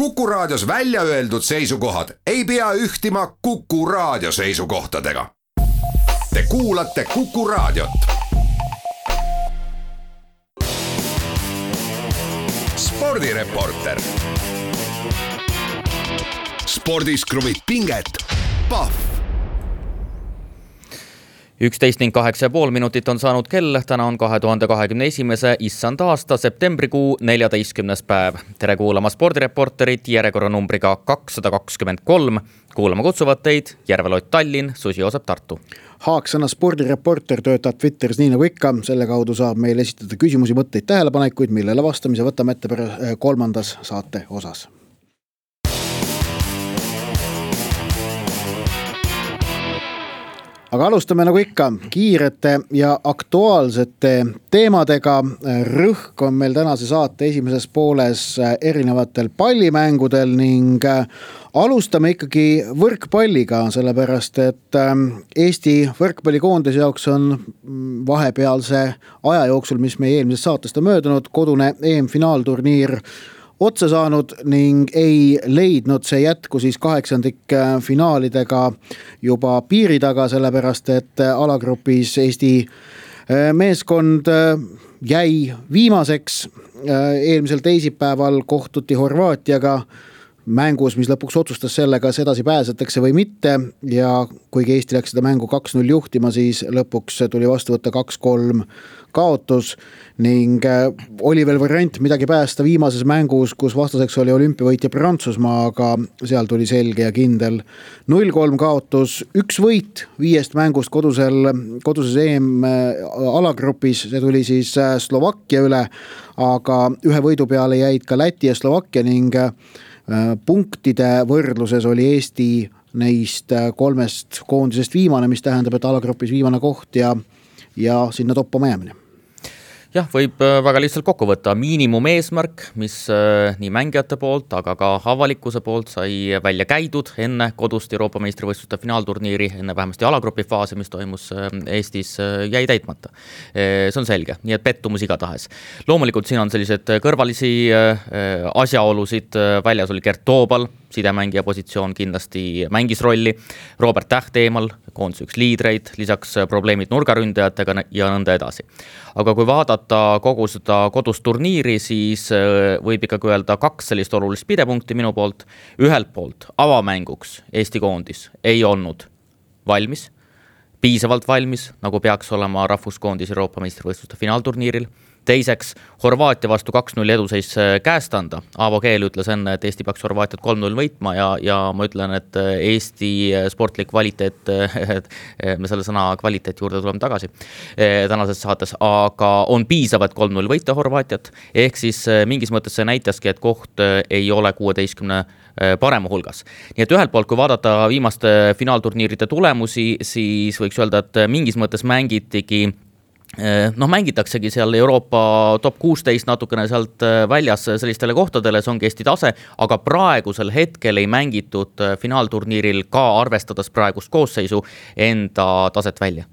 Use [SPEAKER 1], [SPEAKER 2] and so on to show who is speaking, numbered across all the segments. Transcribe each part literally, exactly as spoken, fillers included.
[SPEAKER 1] Kuku Raadios välja öeldud seisukohad ei pea ühtima Kuku Raadio seisukohtadega. Te kuulate Kuku Raadiot. Spordireporter. Spordis kruvib pinget. Pahv.
[SPEAKER 2] üksteist ning kaheksa ja pool minutit on saanud kell, täna on kahe tuhande kahekümne esimese issand aasta septembrikuu neljateistkümnes päev. Tere kuulama Spordireporterit järjekorranumbriga kakssada kakskümmend kolm. Kuulama kutsuvad teid Järvelott Tallinn, Susi Joosep Tartu.
[SPEAKER 3] Haaksõna Spordireporter töötab Twitteris nii nagu ikka, selle kaudu saab meil esitada küsimusi, mõtteid, tähelepanekuid, millele vastamise võtame ette kolmandas saate osas. Aga alustame nagu ikka kiirete ja aktuaalsete teemadega. Rõhk on meil tänase saate esimeses pooles erinevatel pallimängudel ning alustame ikkagi võrkpalliga, sellepärast et Eesti võrkpallikoondise jaoks on vahepealse aja jooksul, mis meie eelmisest saatest on möödunud, kodune E M-finaalturniir otsa saanud ning ei leidnud see jätku siis kaheksandik finaalidega juba piiri taga, sellepärast et alagrupis Eesti meeskond jäi viimaseks. Eelmisel teisipäeval kohtuti Horvaatiaga mängus, mis lõpuks otsustas selle, kas edasi pääsetakse või mitte, ja kuigi Eesti läks seda mängu kaks null juhtima, siis lõpuks tuli vastu võtta kaks kolm kaotus ning oli veel variant midagi päästa viimases mängus, kus vastaseks oli olümpiavõitja Prantsusmaa, aga seal tuli selge ja kindel null kolm kaotus, üks võit viiest mängust kodusel, koduses E M alagrupis, see tuli siis Slovakkia üle, aga ühe võidu peale jäid ka Läti ja Slovakkia ning punktide võrdluses oli Eesti neist kolmest koondisest viimane, mis tähendab, et alagrupis viimane koht ja, ja sinna toppama jäämine.
[SPEAKER 2] Jah, võib väga lihtsalt kokku võtta miinimum eesmärk, mis nii mängijate poolt, aga ka avalikkuse poolt sai välja käidud enne kodust Euroopa meistrivõistluste finaalturniiri, enne vähemasti alagrupi faasi, mis toimus Eestis, jäi täitmata. See on selge, nii et pettumus igatahes. Loomulikult siin on sellised kõrvalisi asjaolusid, väljas oli Gert Toobal, sidemängija positsioon kindlasti mängis rolli, Robert Täht eemal, koondise üks liidreid, lisaks probleemid nurgaründajatega ja nõnda edasi. Aga kui vaadata kogu seda kodust turniiri, siis võib ikkagi öelda kaks sellist olulist pidepunkti minu poolt. Ühelt poolt avamänguks Eesti koondis ei olnud valmis, piisavalt valmis, nagu peaks olema rahvuskoondis Euroopa meistrivõistluste finaalturniiril. Teiseks, Horvaatia vastu kaks null eduseis käest anda. Aavo Keel ütles enne, et Eesti peaks Horvaatiat kolm null võitma ja, ja ma ütlen, et Eesti sportlik kvaliteet, me selle sõna kvaliteet juurde tuleme tagasi tänases saates, aga on piisav, et kolm null võita Horvaatiat, ehk siis mingis mõttes see näitaski, et koht ei ole kuueteistkümne parema hulgas. Nii et ühelt poolt, kui vaadata viimaste finaalturniiride tulemusi, siis võiks öelda, et mingis mõttes mängitigi noh, mängitaksegi seal Euroopa top kuusteist natukene sealt väljas sellistele kohtadele, see ongi Eesti tase, aga praegusel hetkel ei mängitud finaalturniiril ka arvestades praegust koosseisu enda taset välja.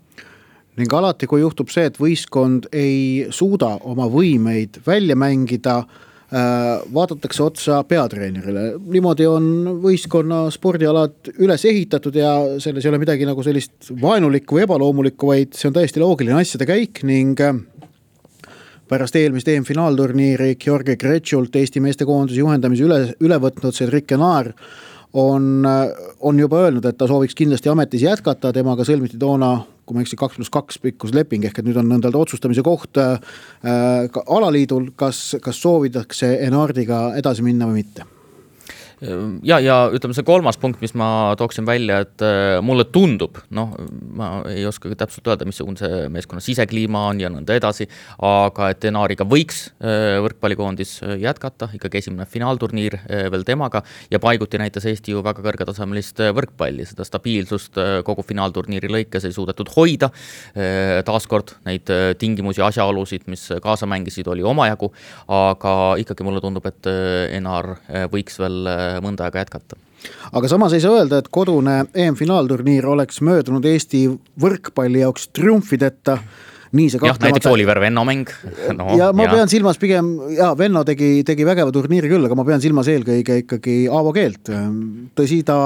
[SPEAKER 3] Ning alati, kui juhtub see, et võistkond ei suuda oma võimeid välja mängida, vaadatakse otsa peatreenerile. Niimoodi on võistkonna spordialad üles ehitatud ja selles ei ole midagi nagu sellist vaenulikku või ebaloomulikku, vaid see on täiesti loogiline asjade käik ning pärast eelmist E M-finaalturniiri Georgi Gretšult Eesti meestekoondise juhendamise üle, üle võtnud Cedric Kenar on, on juba öelnud, et ta sooviks kindlasti ametis jätkata, temaga sõlmiti toona kui ma eksi kaks pluss kaks pikkus leping, ehk et nüüd on nõndalda otsustamise koht äh, alaliidul, kas, kas soovidakse Enardiga edasi minna või mitte?
[SPEAKER 2] Ja, ja ütleme see kolmas punkt, mis ma tooksin välja, et mulle tundub, noh, ma ei oska täpselt öelda, missugune see meeskonna sisekliima on ja nõnda edasi, aga et Enariga võiks võrkpallikoondis jätkata, ikkagi esimene finaalturniir veel temaga ja paiguti näitas Eesti ju väga kõrgetasemelist võrkpalli, seda stabiilsust kogu finaalturniiri lõikes ei suudetud hoida. Taaskord neid tingimusi ja asjaolusid, mis kaasa mängisid, oli omajagu, aga ikkagi mulle tundub, et Enar võiks veel mõnda aega jätkata.
[SPEAKER 3] Aga samas ei saa öelda, et kodune E M-finaalturniir oleks möödunud Eesti võrkpalli jaoks triumfideta. nii see
[SPEAKER 2] jah, näiteks Oliver Venno mäng.
[SPEAKER 3] No, ja ma ja. pean silmas pigem, ja Venno tegi, tegi vägeva turniiri küll, aga ma pean silmas eelkõige ikkagi Aavo Keelt. Tõsi, ta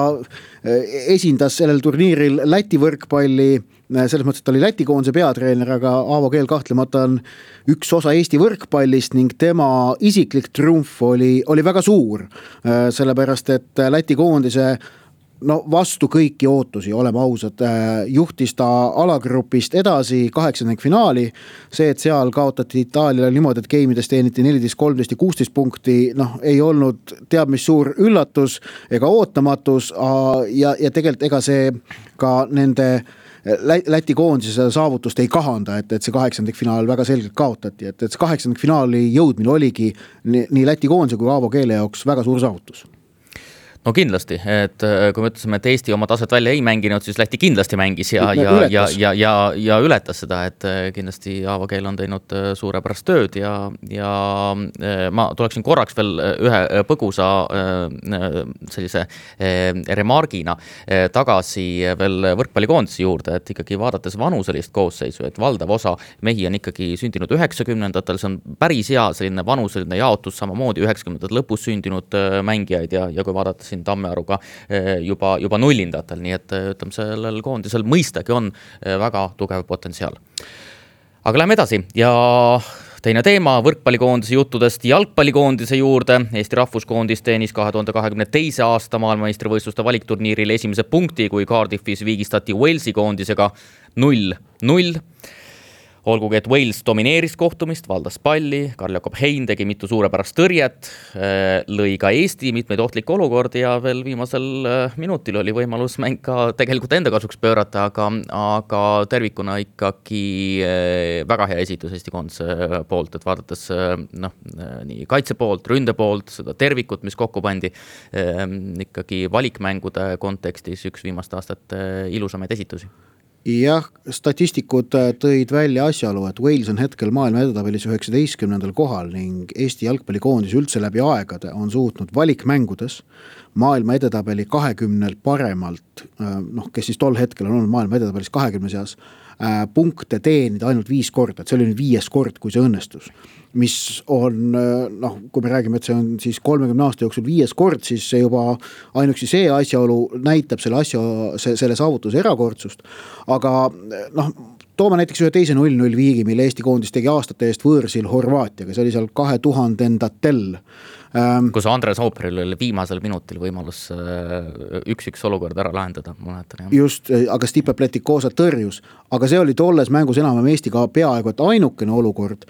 [SPEAKER 3] esindas sellel turniiril Läti võrkpalli, selles mõttes, et ta oli Läti koondise peatreener, aga Aavo Keel kahtlemata on üks osa Eesti võrkpallist ning tema isiklik triumf oli, oli väga suur, sellepärast, et Läti koondise no vastu kõiki ootusi, oleme ausad, juhtis ta alagrupist edasi kaheksandink finaali, see, et seal kaotati Itaaliale niimoodi, et geimides teeniti neliteist, kolmteist ja kuusteist punkti, noh, ei olnud teab mis suur üllatus ega ootamatus ja, ja tegelikult ega see ka nende Läti koondise seda saavutust ei kahanda, et, et see kaheksandik finaal väga selgelt kaotati, et, et see kaheksandik finaali jõudmine oligi nii, nii Läti koondise kui Aavo Keele jaoks väga suur saavutus.
[SPEAKER 2] No kindlasti, et kui me ütlesime, et Eesti oma taset välja ei mänginud, siis Läti kindlasti mängis ja, ja, ja, ja, ja, ja ületas seda, et kindlasti Aavo Keel on teinud suurepärast tööd ja, ja ma tuleksin korraks veel ühe põgusa sellise remargina tagasi veel võrkpallikoondise juurde, et ikkagi vaadates vanuselist koosseisu, et valdav osa mehi on ikkagi sündinud üheksakümnendatel, see on päris hea selline vanuseline jaotus, samamoodi üheksakümnendate lõpus sündinud mängijaid ja, ja kui vaadates siin Tammearuga juba, juba nullindatel, nii et ütleme, sellel koondisel mõistagi on väga tugev potentsiaal. Aga läheme edasi ja teine teema võrkpallikoondise juttudest jalgpallikoondise juurde. Eesti rahvuskoondis teenis kahe tuhande kahekümne teise aasta maailmameistrivõistluste valikturniiril esimese punkti, kui Cardiffis viigistati Walesi koondisega null null. Olgugi, et Wales domineeris kohtumist, valdas palli, Karl-Jakob Hein tegi mitu suurepärast tõrjet, lõi ka Eesti mitmeid ohtlikke olukordi ja veel viimasel minutil oli võimalus mäng ka tegelikult enda kasuks pöörata, aga, aga tervikuna ikkagi väga hea esitus Eesti koondise poolt, et vaadates noh, nii kaitse poolt, ründe poolt, seda tervikut, mis kokku pandi, ikkagi valikmängude kontekstis üks viimaste aastate ilusamaid esitusi.
[SPEAKER 3] Jah, statistikud tõid välja asjaolu, et Wales on hetkel maailma edetabelis üheksateistkümnendal kohal ning Eesti jalgpallikoondis üldse läbi aegade on suutnud valikmängudes maailma edetabeli kahekümnel paremalt, noh, kes siis tol hetkel on olnud maailma edetabelis kahekümne seas, punkte teenida ainult viis korda, et see oli nüüd viies kord, kui see õnnestus. Mis on, noh, kui me räägime, et see on siis kolmekümne aasta jooksul viies kord, siis see juba ainuksi see asjaolu näitab selle asja, selle saavutuse erakordsust. Aga noh, toome näiteks ühe teise null null viigi, mille Eesti koondis tegi aastate eest võõrsil Horvaatiaga, see oli seal kahe tuhandendatel.
[SPEAKER 2] Kus Andres Ooperil oli viimasel minutil võimalus üks-üks olukord ära lahendada. Mõnetan,
[SPEAKER 3] just, aga Stipe Pletikosa tõrjus. Aga see oli tolles mängus enam Eestiga peaaegu et ainukene olukord,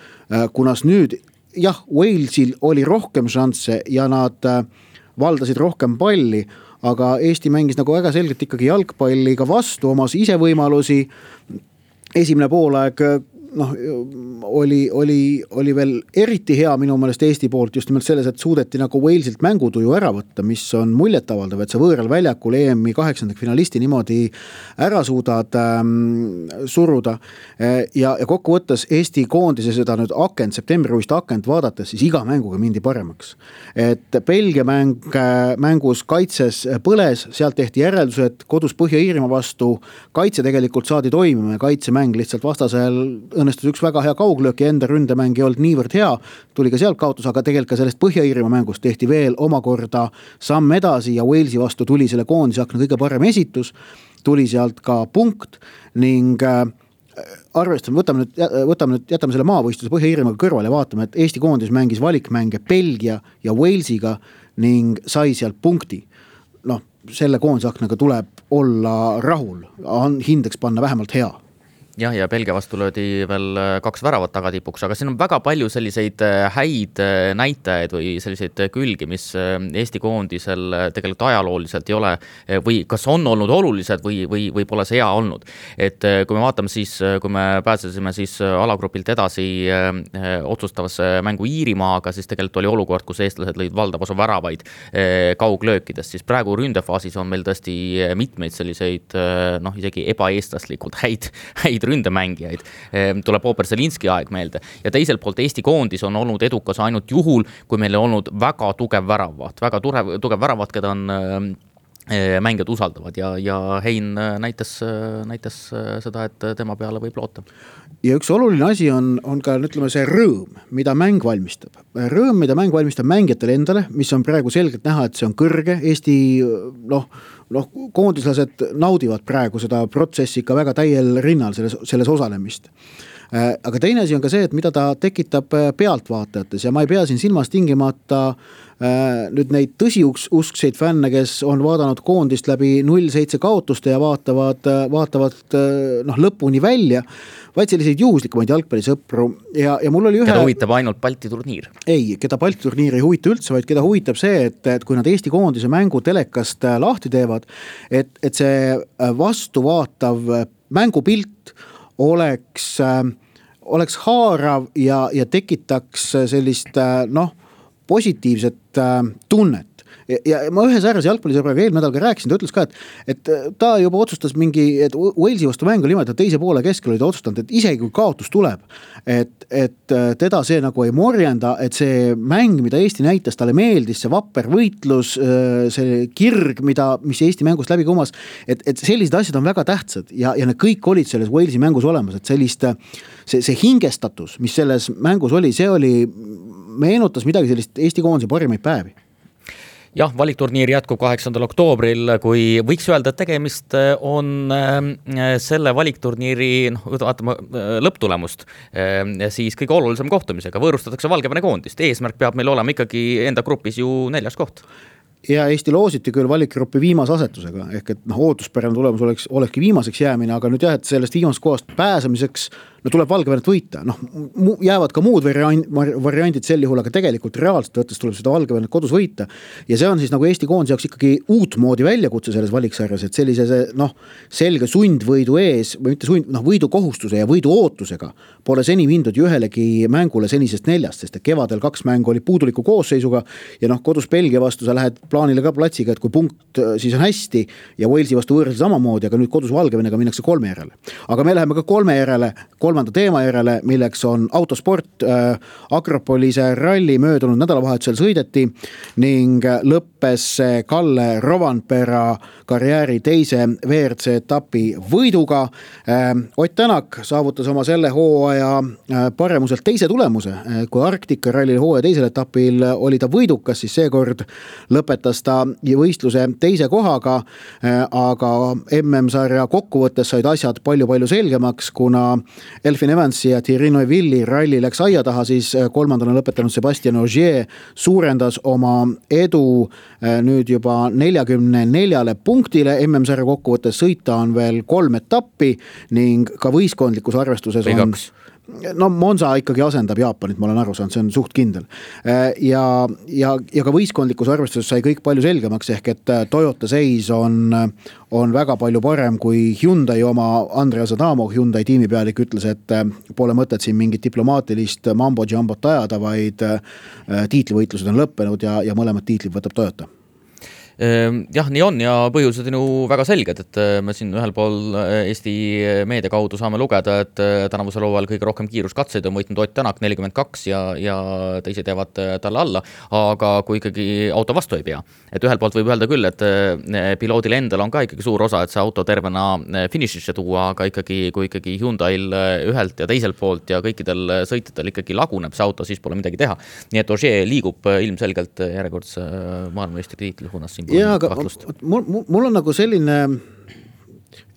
[SPEAKER 3] kunas nüüd, jah, Walesil oli rohkem šansse ja nad valdasid rohkem palli, aga Eesti mängis nagu väga selgelt ikkagi jalgpalliga vastu, omas ise võimalusi. Esimene poolaeg noh, oli, oli, oli veel eriti hea minu meelest Eesti poolt just nimelt selles, et suudeti nagu Walesilt mängutuju ära võtta, mis on muljetavaldav, et sa võõral väljakul E M-i kaheksandik finalisti niimoodi ära suudad ähm, suruda ja, ja kokku võttes Eesti koondise seda nüüd akent, septembriuist akent vaadates, siis iga mänguga mindi paremaks. Et Belgia mäng, mängus kaitses põles, sealt tehti järeldused kodus Põhja-Iirimaa vastu, kaitse tegelikult saadi toimima ja kaitsemäng lihtsalt vastasel õnnestus üks väga hea kauglöök ja enda ründemäng ei olnud niivõrd hea, tuli ka sealt kaotus, aga tegelikult ka sellest Põhja-Iirimaa mängust tehti veel omakorda samm edasi ja Walesi vastu tuli selle koondise akna kõige parem esitus, tuli sealt ka punkt ning arvestame, võtame nüüd, võtame nüüd, jätame selle maavõistluse Põhja-Iirimaaga kõrvale ja vaatame, et Eesti koondis mängis valikmänge Belgia ja Walesiga ning sai sealt punkti. Noh, selle koondise aknaga tuleb olla rahul, hindeks panna vähemalt hea.
[SPEAKER 2] Jah, ja Belgia vastu löödi veel kaks väravat tagatipuks, aga siin on väga palju selliseid häid näitajaid või selliseid külgi, mis Eesti koondisel tegelikult ajalooliselt ei ole või kas on olnud olulised või, või, või pole see hea olnud. Et kui me vaatame siis, kui me pääsesime siis alagrupilt edasi otsustavasse mängu Iirimaaga, siis tegelikult oli olukord, kus eestlased lõid valdav osa väravaid kauglöökidest, siis praegu ründefaasis on meil tõesti mitmeid selliseid noh, isegi ebaeestlaslikult häid, häid ründemängijaid, tuleb Ooper Zelinski aeg meelde. Ja teiselt poolt Eesti koondis on olnud edukas ainult juhul, kui meil on olnud väga tugev väravaht, väga tugev, tugev väravaht, keda on mängijad usaldavad ja, ja Hein näitas, näitas seda, et tema peale võib loota.
[SPEAKER 3] Ja üks oluline asi on, on ka ütleme, see rõõm, mida mäng valmistab. Rõõm, mida mäng valmistab mängijatele endale, mis on praegu selgelt näha, et see on kõrge. Eesti noh, noh, koondislased naudivad praegu seda protsessi ikka väga täiel rinnal selles, selles osalemist. Aga teine asi on ka see, et mida ta tekitab pealtvaatajates ja ma ei pea siin silmas tingimata nüüd neid tõsiuskseid fänne, kes on vaadanud koondist läbi null seitse kaotuste ja vaatavad, vaatavad noh, lõpuni välja, vaid selliseid juhuslikumaid jalgpallisõpru ja, ja mul oli ühe...
[SPEAKER 2] Keda huvitab ainult Balti turniir?
[SPEAKER 3] Ei, keda Balti turniir ei huvita üldse, vaid keda huvitab see, et, et kui nad Eesti koondise mängu telekast lahti teevad, et, et see vastuvaatav mängupilt oleks, oleks haarav ja, ja tekitaks sellist noh, positiivset tunnet. Ja, ja ma ühe säärase jalgpallisõbraga eelmine nädal ka rääkisin, ta ütles ka, et, et ta juba otsustas mingi, et Walesi vastu mängu niimoodi, et teise poole keskel oli ta otsustanud, et isegi kui kaotus tuleb, et, et teda see nagu ei morjenda, et see mäng, mida Eesti näitas, talle meeldis, see vapper võitlus, see kirg, mida, mis Eesti mängust läbi kumas, et, et sellised asjad on väga tähtsad ja, ja need kõik olid selles Walesi mängus olemas, et sellist, see, see hingestatus, mis selles mängus oli, see oli, meenutas midagi sellist Eesti koondise parimaid päevi.
[SPEAKER 2] Jah, valikturniir jätkub kaheksandal oktoobril, kui võiks öelda, et tegemist on selle valikturniiri, noh, vaatame lõpptulemust, siis kõige olulisem kohtumisega. Võõrustatakse Valgevene koondist. Eesmärk peab meil olema ikkagi enda grupis ju neljas koht.
[SPEAKER 3] Ja Eesti loositi küll valikgrupi viimase asetusega, ehk et noh, ootuspärane tulemus oleks, olekski viimaseks jäämine, aga nüüd jah, et sellest viimasest kohast pääsemiseks no tuleb Valgevenet võita. Noh, jäävad ka muud variandid sel juhul, aga tegelikult reaalselt võttes tuleb seda Valgevenet kodus võita. Ja see on siis nagu Eesti koondise jaoks ikkagi uut moodi väljakutse selles valiksarjas, et sellise noh, selge sundvõidu ees, või mitte sund, noh, võidu kohustuse ja võidu ootusega pole seni mindud ühelegi mängule senisest neljast, sest et kevadel kaks mängu oli puuduliku koosseisuga ja noh, kodus Belgia vastu sa lähed plaanile ka platsiga, et kui punkt siis on hästi ja Walesi vastu võõrsil samamoodi, aga nüüd kodus Valgevenega minnakse kolme järele. Aga me läheme ka kolme järele, kolmanda teema järele, milleks on autosport. Akropolise ralli möödunud nädalavahetusel sõideti ning lõppes Kalle Rovanpera karjääri teise V R C etapi võiduga. Ott Tänak saavutas oma selle hooaja paremuselt teise tulemuse. Kui Arktika ralli hooaja teisel etapil oli ta võidukas, siis seekord lõpetas ta võistluse teise kohaga, aga M M-sarja kokkuvõttes said asjad palju-palju selgemaks, kuna Elfin Evansi ja Thierry Neuvilli ralli läks aia taha, siis kolmandana lõpetanud Sebastian Ogier suurendas oma edu nüüd juba neljakümne neljale punktile. M M-sarja kokkuvõttes sõita on veel kolm etappi ning ka võistkondlikus arvestuses
[SPEAKER 2] või
[SPEAKER 3] on...
[SPEAKER 2] kaks.
[SPEAKER 3] No Monza ikkagi asendab Jaapanit, ma olen aru saanud, see on suht kindel. Ja, ja, ja ka võistkondlikus arvestuses sai kõik palju selgemaks, ehk et Toyota seis on, on väga palju parem kui Hyundai oma. Andreas Adamo, Hyundai tiimipealik, ütles, et pole mõtet siin mingit diplomaatilist mambo-jambot ajada, vaid tiitlivõitlused on lõppenud ja, ja mõlemad tiitlid võtab Toyota.
[SPEAKER 2] Jah, nii on ja põhjused on ju väga selged, et me siin ühel pool Eesti meedia kaudu saame lugeda, et tänavusel hooajal kõige rohkem kiiruskatseid on võitnud Ott Tänak nelikümmend kaks ja, ja teised jäävad talle alla, aga kui ikkagi auto vastu ei pea. Et ühel poolt võib öelda küll, et piloodil endal on ka ikkagi suur osa, et see auto tervena finišisse tuua, aga ikkagi, kui ikkagi Hyundail ühelt ja teiselt poolt ja kõikidel sõitjatel ikkagi laguneb see auto, siis pole midagi teha. Nii et Ogier liigub ilmselgelt järjekordse maailmameistri tiitli suunas siin.
[SPEAKER 3] Ja, aga mul, mul on nagu selline,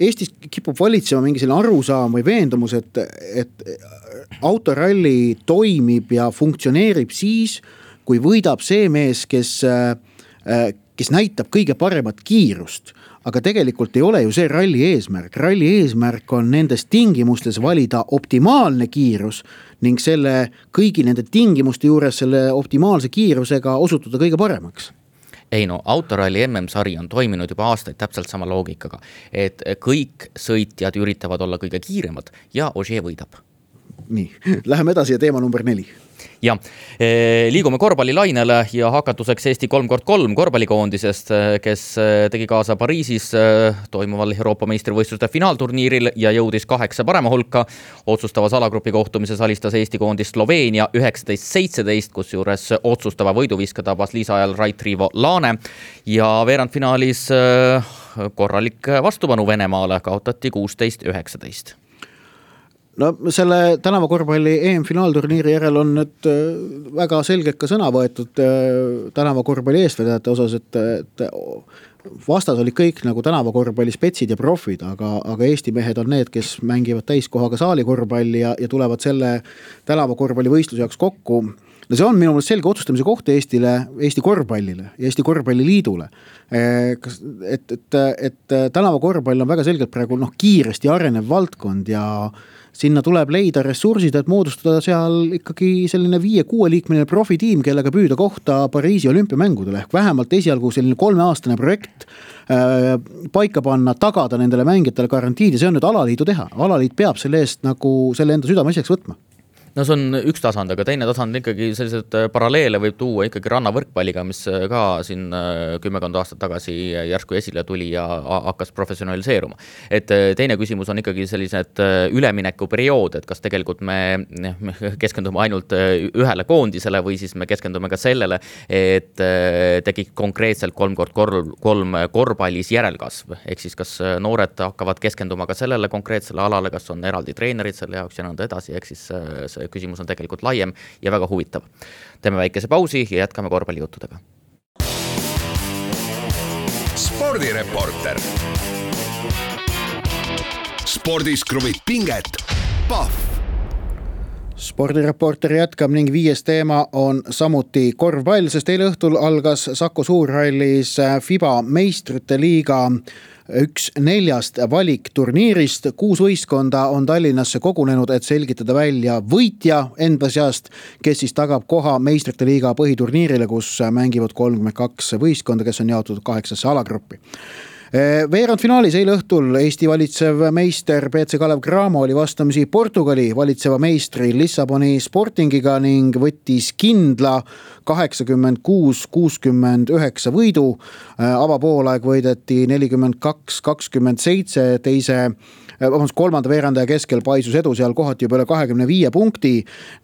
[SPEAKER 3] Eestis kipub valitsema mingi selline arusaam või veendumus, et, et autoralli toimib ja funktsioneerib siis, kui võidab see mees, kes, kes näitab kõige paremat kiirust. Aga tegelikult ei ole ju see ralli eesmärk. Ralli eesmärk on nendes tingimustes valida optimaalne kiirus ning selle kõigi nende tingimuste juures selle optimaalse kiirusega osutuda kõige paremaks.
[SPEAKER 2] Ei no, autoralli M M-sari on toiminud juba aastaid täpselt sama loogikaga, et kõik sõitjad üritavad olla kõige kiiremad ja Ogier võidab.
[SPEAKER 3] Nii, läheme edasi ja teema number neli.
[SPEAKER 2] Ja liigume korvpallilainele ja hakatuseks Eesti kolm korda kolm korvpallikoondisest, kes tegi kaasa Pariisis toimuval Euroopa meistrivõistluste finaalturniiril ja jõudis kaheksa parema hulka. Otsustavas alagrupi kohtumises alistas Eesti koondis Sloveenia üheksateist seitseteist, kus juures otsustava võiduviska tabas lisaajal Rait Riivo Laane ja veerandfinaalis korralik vastupanu Venemaale kaotati kuusteist üheksateist.
[SPEAKER 3] No selle tänava korvpalli E M-finaalturniiri järel on nüüd väga selgelt ka sõna võetud tänava korvpalli eestvedajate osas, et, et vastas oli kõik nagu tänava korvpalli spetsid ja profid, aga, aga Eesti mehed on need, kes mängivad täiskohaga saali korvpalli ja, ja tulevad selle tänava korvpalli võistluse jaoks kokku. No see on minu meelest selge otsustamise koht Eestile, Eesti korvpallile ja Eesti korvpalliliidule. Et, et, et tänava korvpall on väga selgelt praegu noh, kiiresti arenev valdkond ja sinna tuleb leida ressursid, et moodustada seal ikkagi selline viie-kuue liikmeline profitiim, kellega püüda kohta Pariisi olümpiamängudele. Ehk vähemalt esialgu selline kolmeaastane projekt äh, paika panna, tagada nendele mängijatele garantiid ja see on nüüd alaliidu teha. Alaliit peab selle eest nagu selle enda südame asjaks võtma.
[SPEAKER 2] No see on üks tasand, aga teine tasand ikkagi sellised paralleele võib tuua ikkagi rannavõrkpalliga, mis ka siin kümmekond aastat tagasi järsku esile tuli ja hakkas professionaliseeruma. Et teine küsimus on ikkagi sellised ülemineku periood, et kas tegelikult me keskendume ainult ühele koondisele või siis me keskendume ka sellele, et tegi konkreetselt kolm korda kolm korvpallis järelkasv. Ehk siis kas noored hakkavad keskenduma ka sellele konkreetsele alale, kas on eraldi treenerid selle jaoks ja nõnda edasi, ehk siis see küsimus on tegelikult laiem ja väga huvitav. Teeme väikese pausi ja jätkame korvpallijuttudega.
[SPEAKER 1] Spordireporter. Spordis kruvib pinget. Pahv.
[SPEAKER 3] Spordireporter jätkab ning viies teema on samuti korvpall, sest eile õhtul algas Saku Suurhallis FIBA meistrite liiga üks neljast valikturniirist. Kuus võistkonda on Tallinnasse kogunenud, et selgitada välja võitja enda seast, kes siis tagab koha meistrite liiga põhiturniirile, kus mängivad kolmkümmend kaks võistkonda, kes on jaotud kaheksasse alagruppi. Veerandfinaalis eile õhtul Eesti valitsev meister B C Kalev Cramo oli vastamisi Portugali valitseva meistri Lissaboni Sportingiga ning võttis kindla kaheksakümmend kuus kuuskümmend üheksa võidu. Avapoolaeg võideti nelikümmend kaks kakskümmend seitse, teise vabandust, kolmanda veerandaja keskel paisus edu seal kohati juba üle kahekümne viie punkti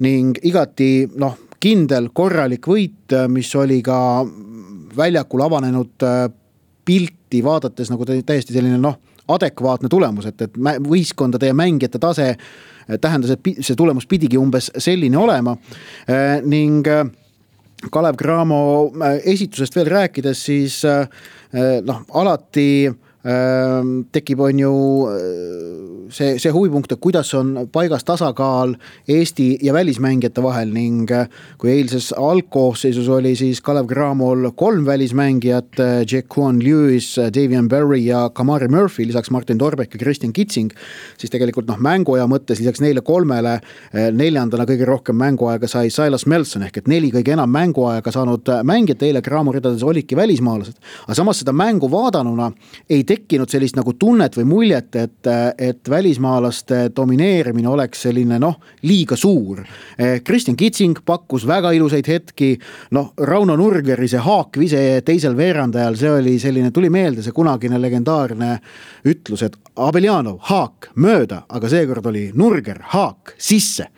[SPEAKER 3] ning igati noh, kindel korralik võit, mis oli ka väljakul avanenud pilti vaadates nagu täiesti selline noh, adekvaatne tulemus, et, et võistkondade ja mängijate tase tähendas, et see tulemus pidigi umbes selline olema ning Kalev Cramo esitusest veel rääkides, siis noh, alati tekib on ju see, see huvipunkt, et kuidas on paigas tasakaal Eesti ja välismängijate vahel ning kui eilses algkoosseisus oli siis Kalev Cramol kolm välismängijat, Jaquan Lewis, Davian Berry ja Kamari Murphy, lisaks Martin Torbek ja Christian Kitsing, siis tegelikult noh, mänguaja mõttes lisaks neile kolmele neljandana kõige rohkem mänguaega sai Silas Melson ehk et neli kõige enam mänguaega saanud mängijat eile Cramo ridades olidki välismaalased. Aga samas seda mängu vaadanuna ei tekkinud sellist nagu tunnet või muljet, et, et välismaalaste domineerimine oleks selline noh, liiga suur. Christian Kitsing pakkus väga ilusaid hetki, noh, Rauno Nurgeri see haakvise teisel veerandajal, see oli selline, tuli meelde see kunagine legendaarne ütlus, et Abeljanov, haak, mööda, aga seekord oli Nurger, haak, sisse.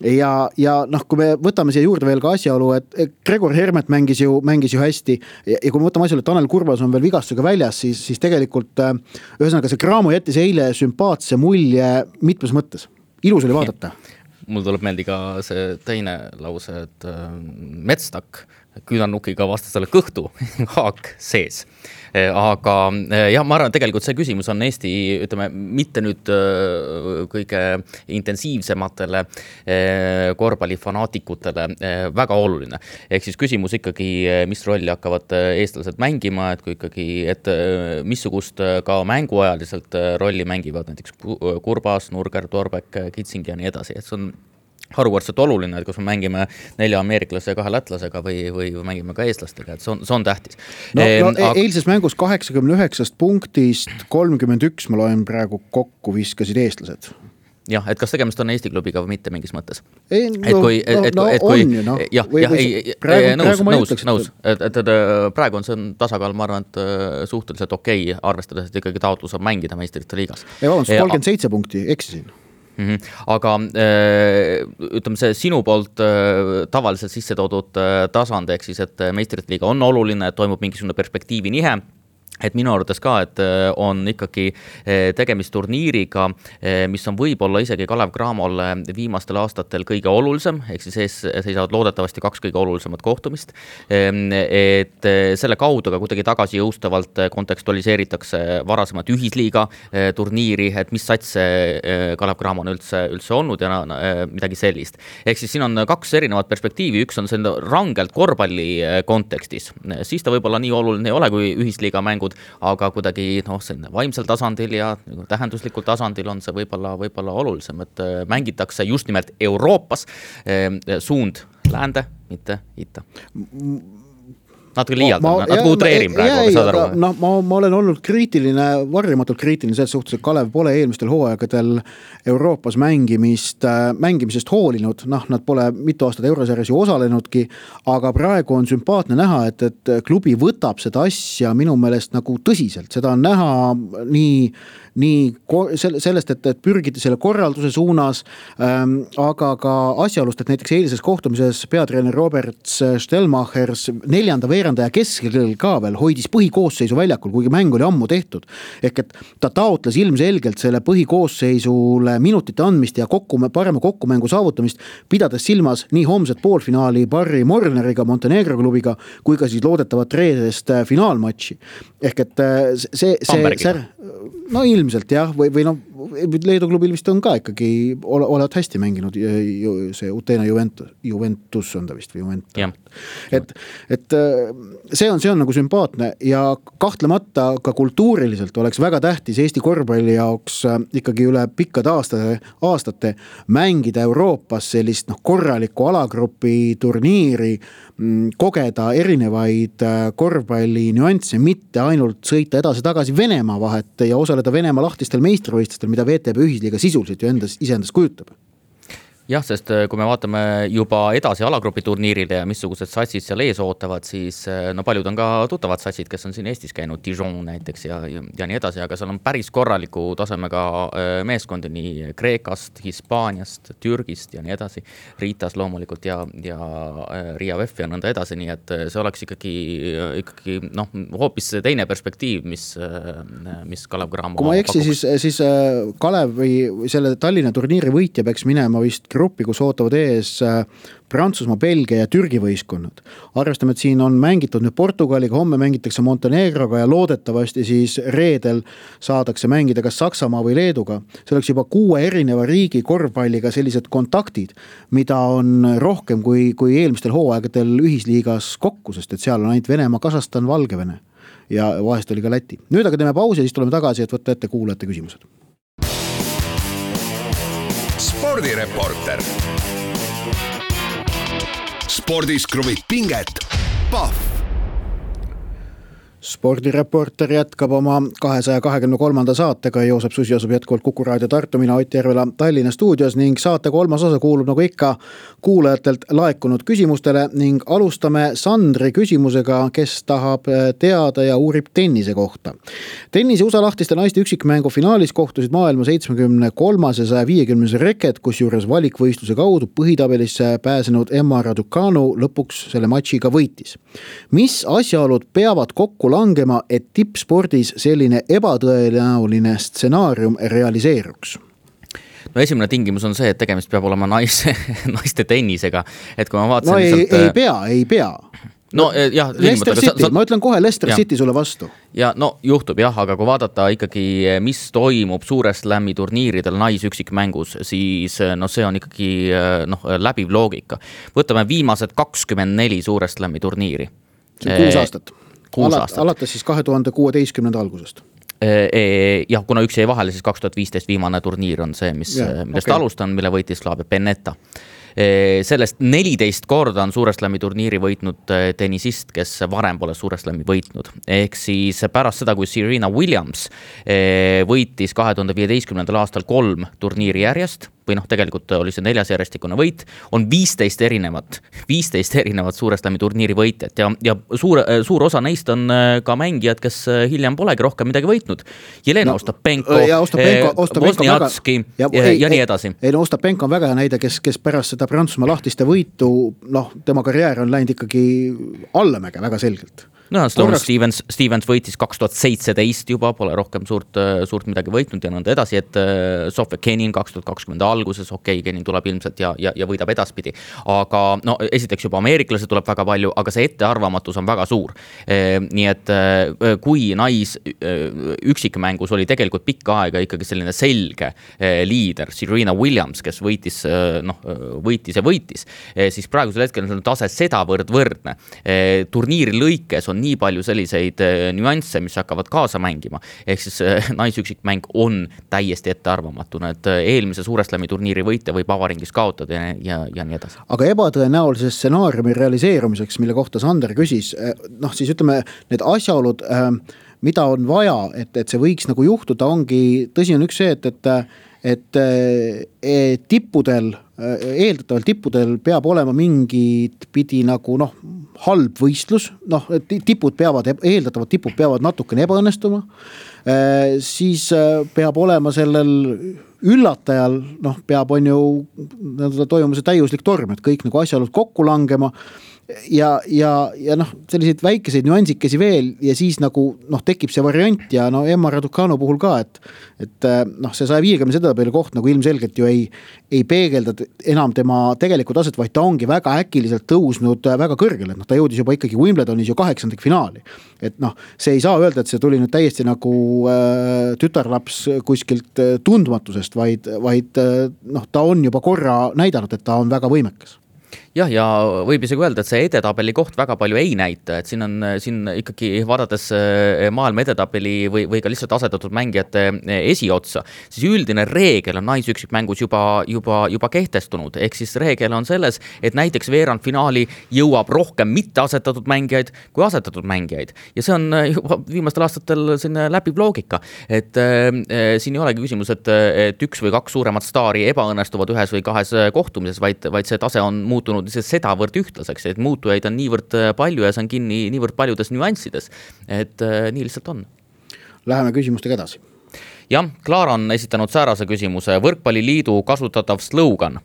[SPEAKER 3] Ja, ja noh, kui me võtame siia juurde veel ka asjaolu, et Gregor Hermet mängis ju, mängis ju hästi ja, ja kui me võtame asjaolu, et Tanel Kurbas on veel vigastusega väljas, siis, siis tegelikult ühesõnaga see Cramo jättis eile sümpaatse mulje mitmes mõttes. Ilus oli vaadata.
[SPEAKER 2] Mul tuleb meeldi ka see teine lause, et Metstak küünarnukiga vastasele kõhtu, haak sees. Aga jah, ma arvan, tegelikult see küsimus on Eesti, ütleme, mitte nüüd kõige intensiivsematele korvpallifanaatikutele väga oluline. Ehk siis küsimus ikkagi, mis rolli hakkavad eestlased mängima, et kui ikkagi, et missugust ka mänguajaliselt rolli mängivad näiteks Kurbas, Nurger, Torbek, Kitsing ja nii edasi. Et see on harukordselt oluline, et kus me mängime nelja ameeriklase ja kahe lätlasega või, või mängime ka eestlastega, et see on, see on tähtis.
[SPEAKER 3] No, no e eilses mängus kaheksakümne üheksast punktist kolmkümmend üks ma loen praegu kokku viskasid eestlased.
[SPEAKER 2] jah, et kas tegemist on Eesti klubiga või mitte mingis mõttes.
[SPEAKER 3] Ei,
[SPEAKER 2] et
[SPEAKER 3] no,
[SPEAKER 2] kui,
[SPEAKER 3] no,
[SPEAKER 2] et,
[SPEAKER 3] no
[SPEAKER 2] et kui,
[SPEAKER 3] on ju, no.
[SPEAKER 2] jah,
[SPEAKER 3] või,
[SPEAKER 2] jah,
[SPEAKER 3] või,
[SPEAKER 2] ei,
[SPEAKER 3] praegu,
[SPEAKER 2] nõus,
[SPEAKER 3] praegu
[SPEAKER 2] nõus,
[SPEAKER 3] ütleks,
[SPEAKER 2] nõus, et, et, et praegu on see on tasakaal, ma arvan, et suhteliselt okei, arvestades, et ikkagi taotlus on mängida meistrite liigas.
[SPEAKER 3] Ei, vabandust, kolmkümmend seitse punkti, eksisin.
[SPEAKER 2] Mm-hmm. Aga ütleme see sinu poolt tavaliselt sisse toodud tasand, ehk siis, et meistrite liiga on oluline, toimub mingisugune perspektiivi nihe, et minu arvates ka, et on ikkagi tegemist turniiriga, mis on võib-olla isegi Kalev Cramole viimastel aastatel kõige olulisem, ehk siis ees seisavad loodetavasti kaks kõige olulisemat kohtumist, et selle kaudu ka kuidagi tagasi jõustavalt kontekstualiseeritakse varasemat ühisliiga turniiri, et mis sats Kalev Cramo on üldse, üldse olnud ja midagi sellist. Ehk siis siin on kaks erinevat perspektiivi, üks on see rangelt korvpalli kontekstis, siis ta võib-olla nii oluline ei ole kui ühisliiga mängud, aga kuidagi noh, vaimsel tasandil ja tähenduslikul tasandil on see võib-olla, võib-olla olulisem, et mängitakse just nimelt Euroopas suund läände, mitte ita. Natuke liialdam, natuke utreerin praegu, aga saad aru.
[SPEAKER 3] No, ma, ma olen olnud kriitiline, varjamatult kriitiline selles suhtes, et Kalev pole eelmistel hooaegadel Euroopas mängimist, mängimisest hoolinud, noh, nad pole mitu aastat eurosarjas ju osalenudki, aga praegu on sümpaatne näha, et, et klubi võtab seda asja minu meelest nagu tõsiselt, seda on näha nii nii sellest, et, et pürgiti selle korralduse suunas, ähm, aga ka asjaolust, et näiteks eilises kohtumises peatreener Roberts Stelmachers neljanda veerandaja keskel ka veel hoidis põhikoosseisu väljakul, kuigi mäng oli ammu tehtud. Ehk et ta taotles ilmselgelt selle põhikoosseisule minutite andmist ja kokku, parema kokkumängu saavutamist, pidades silmas nii homset poolfinaali Barry Morneriga, Montenegro klubiga, kui ka siis loodetavat reedest finaalmatši. Ehk et see, see, see no ilmselt jah, või, või no Leedu klubil vist on ka ikkagi ole, olevat hästi mänginud see Utena Juventus, Juventus on ta vist või Juventus.
[SPEAKER 2] Ja.
[SPEAKER 3] Et, et see on, see on nagu sümpaatne ja kahtlemata ka kultuuriliselt oleks väga tähtis Eesti korvpalli jaoks ikkagi üle pikkade aastate, aastate mängida Euroopas sellist noh, korralikku alagrupi turniiri, kogeda erinevaid korvpalli nüansse, mitte ainult sõita edasi-tagasi Venemaa vahet ja osaleda Venemaa lahtistel meistrivõistlustel, mida V T B ühisliiga sisuliselt ju endas, iseendas kujutab.
[SPEAKER 2] Jah, sest kui me vaatame juba edasi alagrupi turniirile ja missugused satsid seal ees ootavad, siis no paljud on ka tuttavad satsid, kes on siin Eestis käinud, Dijon näiteks ja, ja, ja nii edasi, aga seal on päris korraliku tasemega meeskondi nii Kreekast, Hispaaniast, Türgist ja nii edasi, Riitas loomulikult ja, ja Riia V F ja nõnda edasi, nii et see oleks ikkagi, ikkagi noh, hoopis teine perspektiiv, mis, mis Kalev Cramo
[SPEAKER 3] kui ma eksi, siis, siis Kalev või selle Tallinna turniiri võitja peaks minema vist gruppi, kus ootavad ees Prantsusmaa, Belgia ja Türgi võistkonnad. Arvestame, et siin on mängitud nüüd Portugaliga, homme mängitakse Montenegroga ja loodetavasti siis reedel saadakse mängida kas Saksamaa või Leeduga. See oleks juba kuue erineva riigi korvpalliga sellised kontaktid, mida on rohkem kui, kui eelmistel hooaegadel ühisliigas kokku, sest et seal on ainult Venemaa, Kasahstan, Valgevene ja vahest oli ka Läti. Nüüd aga teeme pausi ja siis tuleme tagasi, et võtta ette kuulajate küsimused.
[SPEAKER 1] Spordireporter. Spordis kruvib pinget. Pahv.
[SPEAKER 3] Spordireporter jätkab oma kahesaja kahekümne kolmanda saatega. Joosep Susi asub jätkuvalt Kuku Raadio Tartu, mina Ott Järvela Tallinna stuudios ning saate kolmas osa kuulub nagu ikka kuulajatelt laekunud küsimustele ning alustame Sandri küsimusega, kes tahab teada ja uurib tennise kohta. Tennise U S A lahtiste naiste üksikmängu finaalis kohtusid maailma seitsmekümne kolmas ja saja viiekümnes reket, kus juures valikvõistluse kaudu põhitabelisse pääsenud Emma Raducanu lõpuks selle matšiga võitis. Mis asjaolud peavad kokku langema, et tippspordis selline ebatõenäoline stsenaarium realiseeruks?
[SPEAKER 2] No esimene tingimus on see, et tegemist peab olema naise, naiste tennisega. Et kui ma vaatasin
[SPEAKER 3] no ei,
[SPEAKER 2] lihtsalt...
[SPEAKER 3] ei pea, ei pea.
[SPEAKER 2] No, jah,
[SPEAKER 3] Leicester City, sa... ma ütlen kohe Leicester
[SPEAKER 2] ja.
[SPEAKER 3] City sulle vastu.
[SPEAKER 2] Ja no juhtub jah, aga kui vaadata ikkagi, mis toimub suurest lämmi turniiridel naisüksikmängus, siis no see on ikkagi noh, läbiv loogika. Võtame viimased kakskümmend neli suurest lämmi turniiri.
[SPEAKER 3] See on kuus aastat.
[SPEAKER 2] Alat,
[SPEAKER 3] alates siis kahe tuhande kuueteistkümnenda algusest.
[SPEAKER 2] Jah, kuna üks jäi vahele, siis kaks tuhat viisteist viimane turniir on see, mis, ja, millest okay. alustan, mille võitis Slavia Pennetta. Sellest neliteist korda on Suure Slami turniiri võitnud tennisist, kes varem pole Suure Slami võitnud. Ehk siis pärast seda, kui Serena Williams võitis kahe tuhande viieteistkümnendal aastal kolm turniiri järjest, või noh, tegelikult oli see neljas järjestikune võit, on viisteist erinevat, viisteist erinevat Suure Slami turniiri võitjat ja, ja suur, suur osa neist on ka mängijad, kes hiljem polegi rohkem midagi võitnud. Jelena no, Ostapenko, Wozniacki ja, ja, ja nii edasi.
[SPEAKER 3] Ei, no Ostapenko on väga hea näide, kes, kes pärast seda Prantsusmaa lahtiste võitu, noh, tema karjäär on läinud ikkagi allamäge väga selgelt.
[SPEAKER 2] No, Sloane Stevens, Stevens võitis kaks tuhat seitseteist juba, pole rohkem suurt, suurt midagi võitnud ja nõnda edasi, et Sofia Kenin kaks tuhat kakskümmend alguses, okei, okay, Kenin tuleb ilmselt ja, ja, ja võidab edaspidi. Aga no, esiteks juba ameeriklase tuleb väga palju, aga see ettearvamatus on väga suur. Nii et kui nais üksikmängus oli tegelikult pikka aega ikkagi selline selge liider, Serena Williams, kes võitis, noh, võitis ja võitis, siis praegusel hetkel on tase sedavõrd võrdne. Turniiri lõikes on nii palju selliseid nüansse, mis hakkavad kaasa mängima. Ehk siis naisüksikmäng on täiesti ettearvamatuna, et eelmise Suure Slami turniiri võitja võib avaringis kaotada ja, ja, ja nii edasi.
[SPEAKER 3] Aga ebatõenäolise stsenaariumi realiseerumiseks, mille kohta Sander küsis, noh siis ütleme, need asjaolud, mida on vaja, et, et see võiks nagu juhtuda, ongi, tõsi on üks see, et, et et e, tippudel, eeldatavalt tippudel peab olema mingit pidi nagu noh, halb võistlus, noh, tipud peavad, eeldatavalt tipud peavad natukene ebaõnnestuma, e, siis peab olema sellel üllatajal, noh, peab on ju toimuma see täiuslik torm, et kõik nagu asjaolud kokku langema, ja, ja, ja noh, selliseid väikeseid nüansikesi veel ja siis nagu noh, tekib see variant ja no Emma Raducanu puhul ka, et, et noh, see saja viiekümne edetabeli koht nagu ilmselgelt ju ei, ei peegelda enam tema tegelikult aset, vaid ta ongi väga äkiliselt tõusnud väga kõrgele, et noh, ta jõudis juba ikkagi Wimbledonis ju kaheksandik finaali. Et noh, see ei saa öelda, et see tuli nüüd täiesti nagu äh, tütarlaps kuskilt tundmatusest, vaid, vaid noh, ta on juba korra näidanud, et ta on väga võimekas.
[SPEAKER 2] Jah, ja võib isegi öelda, et see edetabeli koht väga palju ei näita, et siin on siin ikkagi vaadates maailma edetabeli või, või ka lihtsalt asetatud mängijate esiotsa, siis üldine reegel on naisüksikmängus juba, juba, juba kehtestunud. Ehk siis reegel on selles, et näiteks veerandfinaali jõuab rohkem mitte asetatud mängijaid kui asetatud mängijaid. Ja see on juba viimastel aastatel sinna läbiv loogika, et äh, siin ei olegi küsimus, et, et üks või kaks suuremat staari ebaõnnestuvad ühes või kahes kohtumises, vaid, vaid see tase on muutunud sedavõrd ühtlaseks, et muutujaid on niivõrd palju ja see on kinni niivõrd paljudes nüanssides, et äh, nii lihtsalt on.
[SPEAKER 3] Läheme küsimustega edasi.
[SPEAKER 2] Jah, Klaara on esitanud säärase küsimuse. Võrkpalliliidu kasutatav slogan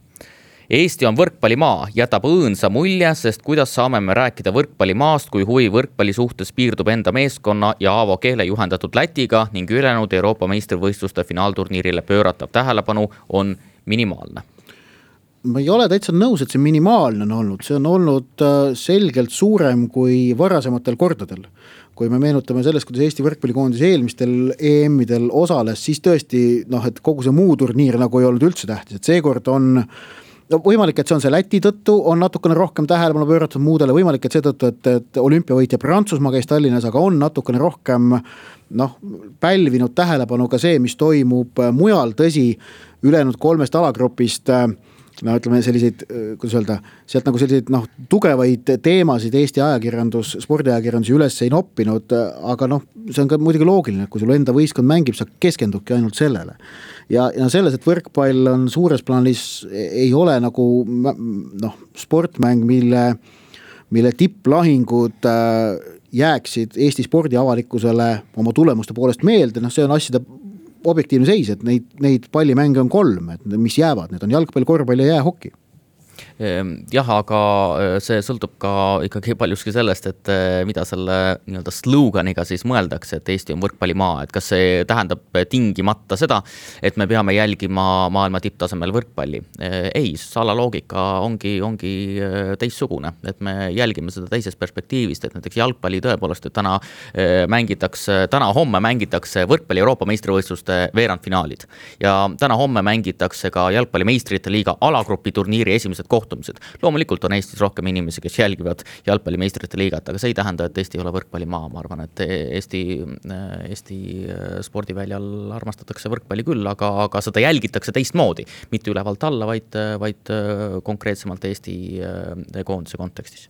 [SPEAKER 2] Eesti on võrkpallimaa jätab õõnsa mulje, sest kuidas saame me rääkida võrkpallimaast, kui huvi võrkpalli suhtes piirdub enda meeskonna ja Aavo Keele juhendatud Lätiga ning ülejäänud Euroopa meistrivõistluste finaalturniirile pööratav tähelepanu on minimaalne.
[SPEAKER 3] Ma ei ole täitsa nõus, et see minimaalne on olnud, see on olnud selgelt suurem kui varasematel kordadel. Kui me meenutame sellest, kuidas Eesti võrkpallikoondis eelmistel E M-idel osales, siis tõesti, noh, et kogu see muu turniir nagu ei olnud üldse tähtis, et seekord on no, võimalik, et see on see Läti tõttu, on natukene rohkem tähelepanu pööratud muudele, võimalik, et seetõttu, et, et olümpiavõitja Prantsusmaa käis Tallinnas, aga on natukene rohkem noh, pälvinud tähelepanu ka see, mis toimub mujal, tõsi, ülejäänud kolmest alagrupist no ütleme selliseid, kuidas öelda, sealt nagu selliseid noh, tugevaid teemasid Eesti ajakirjandus, spordiajakirjandus üles ei noppinud, aga noh, see on ka muidugi loogiline, kui sul enda võistkond mängib, sa keskendubki ainult sellele. Ja, ja selles, et võrkpall on suures plaanis, ei ole nagu noh, sportmäng, mille, mille tipplahingud jääksid Eesti spordiavalikkusele oma tulemuste poolest meelde, noh see on asjade objektiivne seis, et neid, neid pallimänge on kolm, et mis jäävad, need on jalgpall, korvpall ja jäähoki.
[SPEAKER 2] Jah, aga see sõltub ka ikkagi paljuski sellest, et mida selle nii-öelda sloganiga siis mõeldakse, et Eesti on võrkpallimaa, et kas see tähendab tingimata seda, et me peame jälgima maailma tipptasemel võrkpalli. Ei, sala loogika ongi, ongi teissugune, et me jälgime seda teisest perspektiivist, et näiteks jalgpalli tõepoolest, et täna mängitakse, täna homme mängitakse võrkpalli Euroopa meistrivõistluste veerandfinaalid ja täna homme mängitakse ka jalgpalli meistrite liiga alagrupi turniiri esimesed kohtumised. kohtumised. Loomulikult on Eestis rohkem inimesi, kes jälgivad jalgpalli meistrite liigat, aga see ei tähenda, et Eesti ei ole võrkpallimaa. Ma arvan, et Eesti, Eesti spordiväljal armastatakse võrkpalli küll, aga, aga seda jälgitakse teistmoodi. Mitte ülevalt alla, vaid, vaid konkreetsemalt Eesti koondise kontekstis.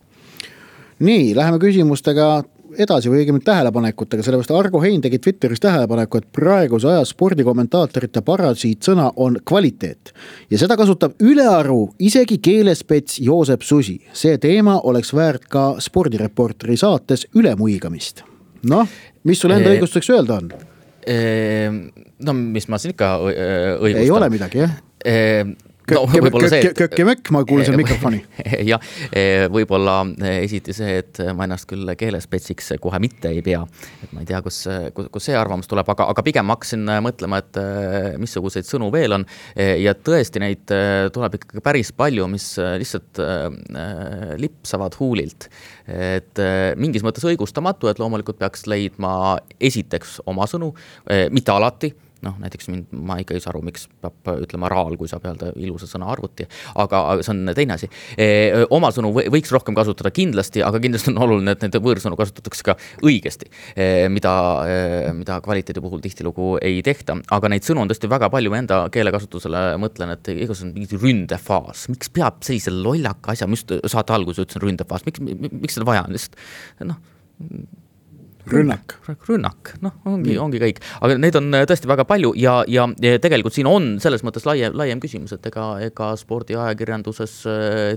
[SPEAKER 3] Nii, läheme küsimustega edasi või õigemini tähelepanekutega, sellepärast Argo Hein tegi Twitteris tähelepaneku, et praeguse aja spordikommentaatorite parasiit sõna on kvaliteet. Ja seda kasutab ülearu isegi keelespets Joosep Susi. See teema oleks väärt ka spordireporteri saates ülemuigamist. Noh, mis sul enda õigustuseks öelda on?
[SPEAKER 2] No, mis ma siin ikka õigustan?
[SPEAKER 3] Ei ole midagi, jah? No, kökki-mökk, ma kuulen selle mikrofoni.
[SPEAKER 2] Ja, võibolla esiti see, et ma ennast küll keelespetsiks kohe mitte ei pea. Et ma ei tea, kus, kus see arvamus tuleb, aga, aga pigem ma hakkasin mõtlema, et missuguseid sõnu veel on. Ja tõesti neid tuleb ikkagi päris palju, mis lihtsalt lipsavad huulilt. Et mingis mõttes õigustamatu, et loomulikult peaks leidma esiteks oma sõnu, mitte alati. Noh, näiteks mind, ma ikka ei saa aru, miks peab ütlema raal, kui saab öelda ilusa sõna arvuti, aga see on teine asi. E, oma sõnu võiks rohkem kasutada kindlasti, aga kindlasti on oluline, et need võõrsõnu kasutatakse ka õigesti, e, mida, e, mida kvaliteedi puhul tihtilugu ei tehta. Aga neid sõnu on tõesti väga palju, enda keelekasutusele mõtlen, et igas on mingi ründefaas. Miks peab sellise lollaka asja, mis saate alguses ütlesin ründefaas, miks, miks seda vaja on? Lihtsalt, noh,
[SPEAKER 3] Rünnak.
[SPEAKER 2] Rünnak, noh, ongi, ongi kõik. Aga neid on tõesti väga palju ja, ja, ja tegelikult siin on selles mõttes laiem, laiem küsimus, et ega, ega spordi ajakirjanduses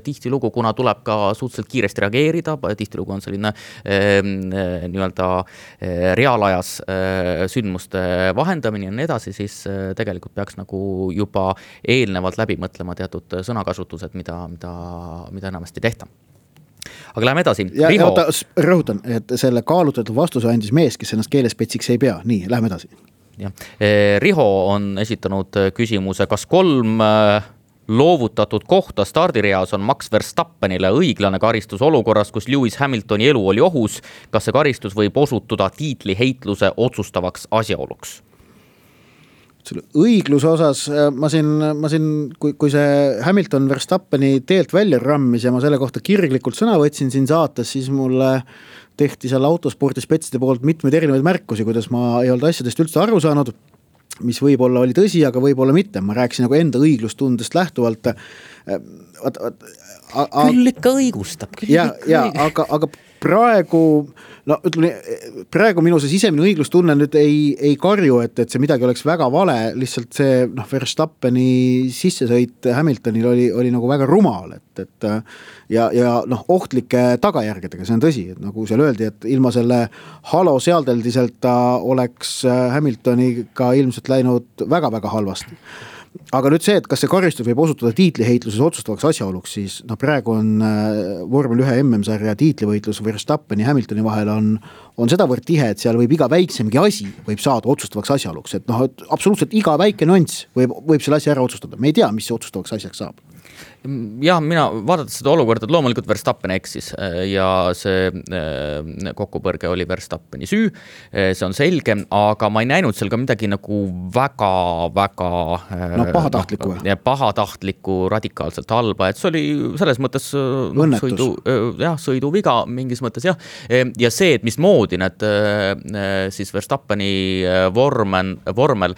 [SPEAKER 2] tihtilugu, kuna tuleb ka suhteliselt kiiresti reageerida, tihtilugu on selline eh, nii-öelda eh, reaalajas eh, sündmuste vahendamine ja nii edasi, siis eh, tegelikult peaks nagu juba eelnevalt läbi mõtlema teatud sõnakasutused, mida, mida, mida enamasti tehta. Aga läheme edasi.
[SPEAKER 3] Ja, Riho... ja rõhutan, et selle kaalutletud vastuse andis mees, kes ennast keelespetsiks ei pea. Nii, läheme edasi.
[SPEAKER 2] Ja. Riho on esitanud küsimuse, kas kolm loovutatud kohta stardireas on Max Verstappenile õiglane karistus olukorras, kus Lewis Hamiltoni elu oli ohus. Kas see karistus võib osutuda tiitli heitluse otsustavaks asjaoluks?
[SPEAKER 3] Selle õigluse osas ma siin, ma siin kui, kui see Hamilton Verstappeni teelt välja rammis ja ma selle kohta kirglikult sõna võtsin siin saates, siis mulle tehti seal autospordispetside poolt mitmeid erinevaid märkusi, kuidas ma ei olnud asjadest üldse aru saanud, mis võib-olla oli tõsi, aga võib-olla mitte. Ma rääkisin nagu enda õiglustundest lähtuvalt. At, at,
[SPEAKER 2] a, a, küll ikka õigustab. Küll
[SPEAKER 3] ja,
[SPEAKER 2] ikka
[SPEAKER 3] ja
[SPEAKER 2] õigustab.
[SPEAKER 3] aga, aga praegu, no ütleme, praegu minu see sisemine õiglustunne nüüd ei, ei karju, et, et see midagi oleks väga vale, lihtsalt see noh, Verstappeni sissesõit Hamiltonil oli, oli nagu väga rumal, et, et ja, ja noh, ohtlike tagajärgedega, see on tõsi, et nagu seal öeldi, et ilma selle halo sealdeldiselt ta oleks Hamiltoniga ilmselt läinud väga-väga halvasti. Aga nüüd see, et kas see karistus võib osutuda tiitliheitluses otsustavaks asjaoluks, siis no praegu on vormel ühe M M-sarja tiitlivõitlus Verstappeni ja Hamiltoni vahel on, on sedavõrd tihe, et seal võib iga väiksemgi asi võib saada otsustavaks asjaoluks, et noh, et absoluutselt iga väike nüanss võib, võib selle asja ära otsustada. Me ei tea, mis see otsustavaks asjaks saab.
[SPEAKER 2] Ja mina vaadates seda olukorda, et loomulikult Verstappen eksis ja see kokkupõrge oli Verstappeni süü, see on selge, aga ma ei näinud seal ka midagi nagu väga, väga
[SPEAKER 3] no, pahatahtlikku
[SPEAKER 2] no, ja pahatahtlikku radikaalselt halba, et see oli selles mõttes no, sõidu, jah, sõiduviga mingis mõttes jah, ja see, et mismoodi need siis Verstappeni vormen, vormel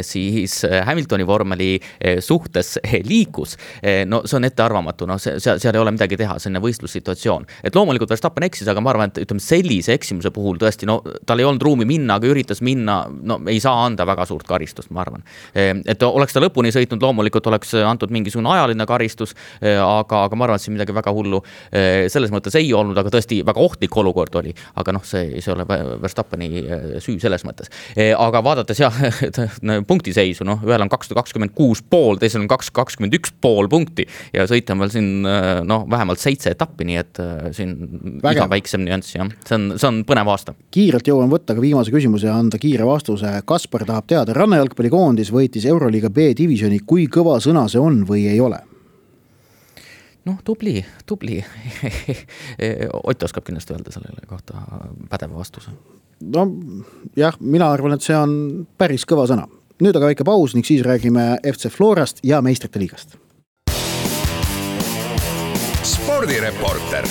[SPEAKER 2] siis Hamiltoni vormeli suhtes liikus, no see on ettearvamatu, no see, seal, seal ei ole midagi teha, selline võistlussituatsioon. Et loomulikult Verstappen eksis, aga ma arvan, et ütleme sellise eksimuse puhul tõesti, no tal ei olnud ruumi minna, aga üritas minna, no ei saa anda väga suurt karistust, ma arvan. Et oleks ta lõpuni sõitnud, loomulikult oleks antud mingisugune ajaline karistus, aga, aga ma arvan, et siin midagi väga hullu selles mõttes ei olnud, aga tõesti väga ohtlik olukord oli, aga noh, see, see ole Verstappeni süü selles mõttes. Aga vaadates jah, punktiseisu, noh, ühel on kakssada kakskümmend kuus pool, teisel on kakssada kakskümmend üks pool punkti ja sõita on veel siin no, vähemalt seitse etappi, nii et siin Vägev. Iga väiksem nüanss, jah. See on, see on põnev aasta.
[SPEAKER 3] Kiirelt jõuan võtta ka viimase küsimuse ja anda kiire vastuse. Kaspar tahab teada, rannajalgpallikoondis võitis Euroliiga B-divisioni, kui kõva sõna see on või ei ole?
[SPEAKER 2] Noh, tubli, tubli. Ott oskab kindlasti öelda sellele kohta pädeva vastuse.
[SPEAKER 3] No jah, mina arvan, et see on päris kõva sõna. Nüüd aga väike paus ning siis räägime F C Florast ja meistrite liigast.
[SPEAKER 1] spordireporter.